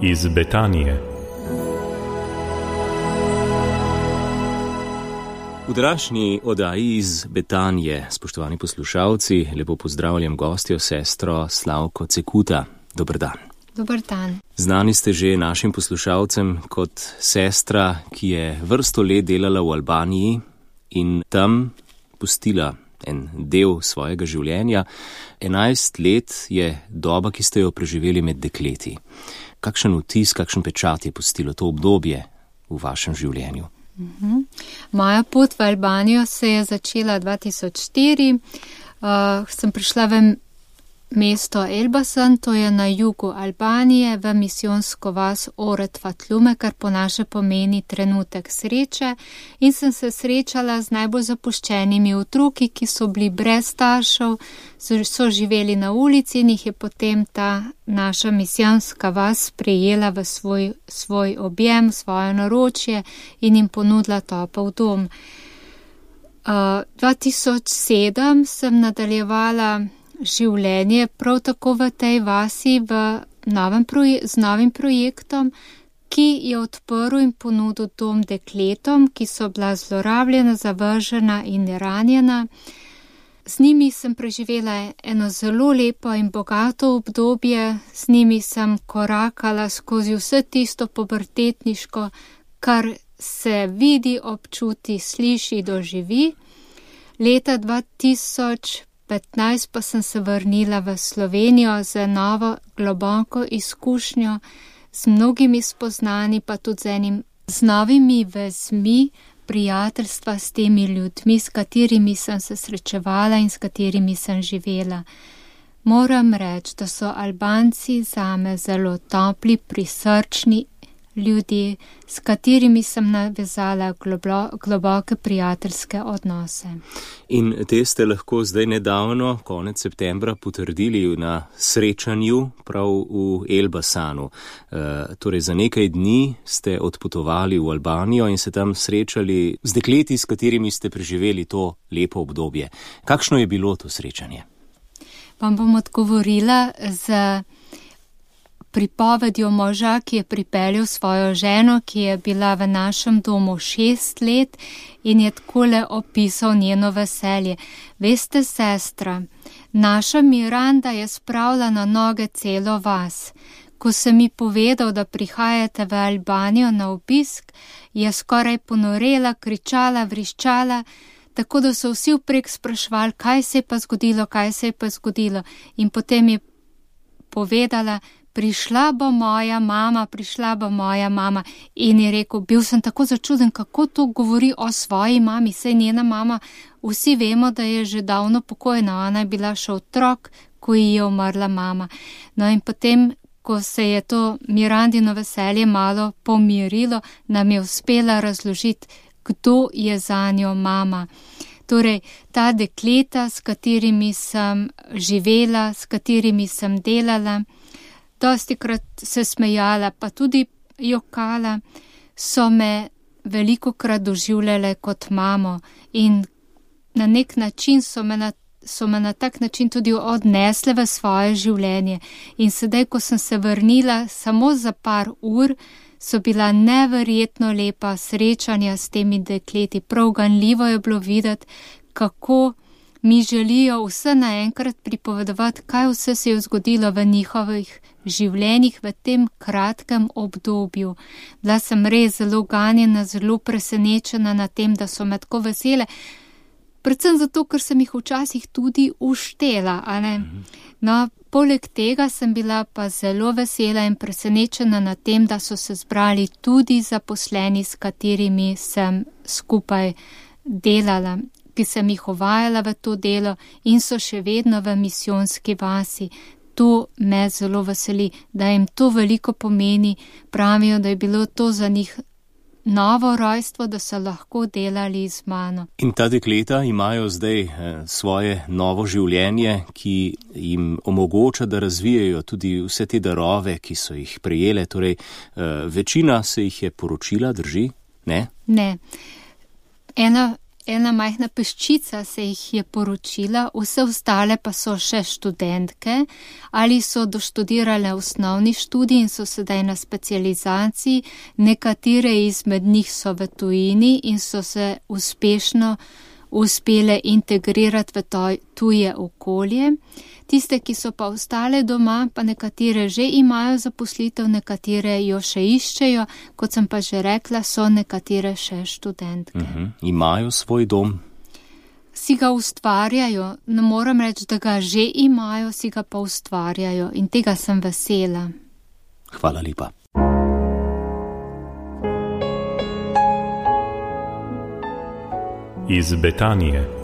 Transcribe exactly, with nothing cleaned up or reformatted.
iz Betanije. V današnji oddaji iz Betanije, spoštovani poslušalci, lepo pozdravljam gostjo, sestro Slavko Cekuta. Dober dan. Dober dan. Znani ste že našim poslušalcem kot sestra, ki je vrsto let delala v Albaniji in tam pustila en del svojega življenja. Enajst let je doba, ki ste jo preživeli med dekleti. Kakšen vtis, kakšen pečat je pustilo to obdobje v vašem življenju? Uh-huh. Moja pot v Albanijo se je začela dva tisoč štiri. Uh, sem prišla v mesto Elbasan, to je na jugu Albanije, v misijonsko vas Oret Fatlume, kar po naše pomeni trenutek sreče, in sem se srečala z najbolj zapuščenimi otroki, ki so bili brez staršev, so, so živeli na ulici in jih je potem ta naša misijonska vas sprejela v svoj, svoj objem, svoje naročje in jim ponudila topel dom. Uh, dva tisoč sedem sem nadaljevala življenje prav tako v tej vasi v novem proje- z novim projektom, ki je odprl in ponudil dom dekletom, ki so bila zlorabljena, zavržena in ranjena. Z njimi sem preživela eno zelo lepo in bogato obdobje, z njimi sem korakala skozi vse tisto pubertetniško, kar se vidi, občuti, sliši, doživi. Leta dva tisoč petnajst pa sem se vrnila v Slovenijo z novo globoko izkušnjo, z mnogimi spoznani, pa tudi z enim z novimi vezmi prijateljstva s temi ljudmi, s katerimi sem se srečevala in s katerimi sem živela. Moram reči, da so Albanci zame zelo topli, prisrčni ljudje, s katerimi sem navezala globo, globoke prijateljske odnose. In te ste lahko zdaj nedavno, konec septembra, potrdili na srečanju prav v Elbasanu. E, torej za nekaj dni ste odpotovali v Albanijo in se tam srečali z dekleti, s katerimi ste preživeli to lepo obdobje. Kakšno je bilo to srečanje? Vam bom odgovorila z pripovedjo moža, ki je pripeljal svojo ženo, ki je bila v našem domu šest let in je takole opisal njeno veselje. Veste, sestra, naša Miranda je spravila na noge celo vas. Ko sem mi povedal, da prihajate v Albanijo na obisk, je skoraj ponorela, kričala, vriščala, tako da so vsi vprek sprašvali, kaj se je pa zgodilo, kaj se je pa zgodilo. In potem je povedala, prišla bo moja mama, prišla bo moja mama. In je rekel, bil sem tako začuden, kako to govori o svoji mami, saj njena mama, vsi vemo, da je že davno pokojna, ona je bila še otrok, ko ji je umrla mama. No in potem, ko se je to Mirandino veselje malo pomirilo, nam je uspela razložiti, kdo je zanjo mama. Torej, ta dekleta, s katerimi sem živela, s katerimi sem delala, dostikrat se smejala, pa tudi jokala, so me velikokrat doživljale kot mamo in na nek način so me na, so me na tak način tudi odnesle v svoje življenje. In sedaj, ko sem se vrnila samo za par ur, so bila neverjetno lepa srečanja s temi dekleti. Prav ganljivo je bilo videti, kako mi želijo vse naenkrat pripovedovati, kaj vse se je zgodilo v njihovih življenjih v tem kratkem obdobju. Bila sem res zelo ganjena, zelo presenečena na tem, da so me tako vesele. Predvsem zato, ker sem jih včasih tudi uštela, a ne? No, poleg tega sem bila pa zelo vesela in presenečena na tem, da so se zbrali tudi zaposleni, s katerimi sem skupaj delala, ki sem jih uvajala v to delo in so še vedno v misijonski vasi. To me zelo veseli, da jim to veliko pomeni. Pravijo, da je bilo to za njih novo rojstvo, da so lahko delali z mano. In ta dekleta imajo zdaj eh, svoje novo življenje, ki jim omogoča, da razvijajo tudi vse te darove, ki so jih prejele. Torej, eh, večina se jih je poročila, drži? Ne? Ne. Ena ena majhna peščica se jih je poročila, vse ostale pa so še študentke ali so doštudirale osnovni študij in so sedaj na specializaciji. Nekatere izmed njih so v tujini in so se uspešno uspele integrirati v tuje okolje. Tiste, ki so pa ostale doma, pa nekatere že imajo zaposlitev, nekatere jo še iščejo, kot sem pa že rekla, so nekatere še študentke. Uh-huh. Imajo svoj dom? Si ga ustvarjajo, ne moram reči, da ga že imajo, si ga pa ustvarjajo in tega sem vesela. Hvala lepa. Iz Betanije.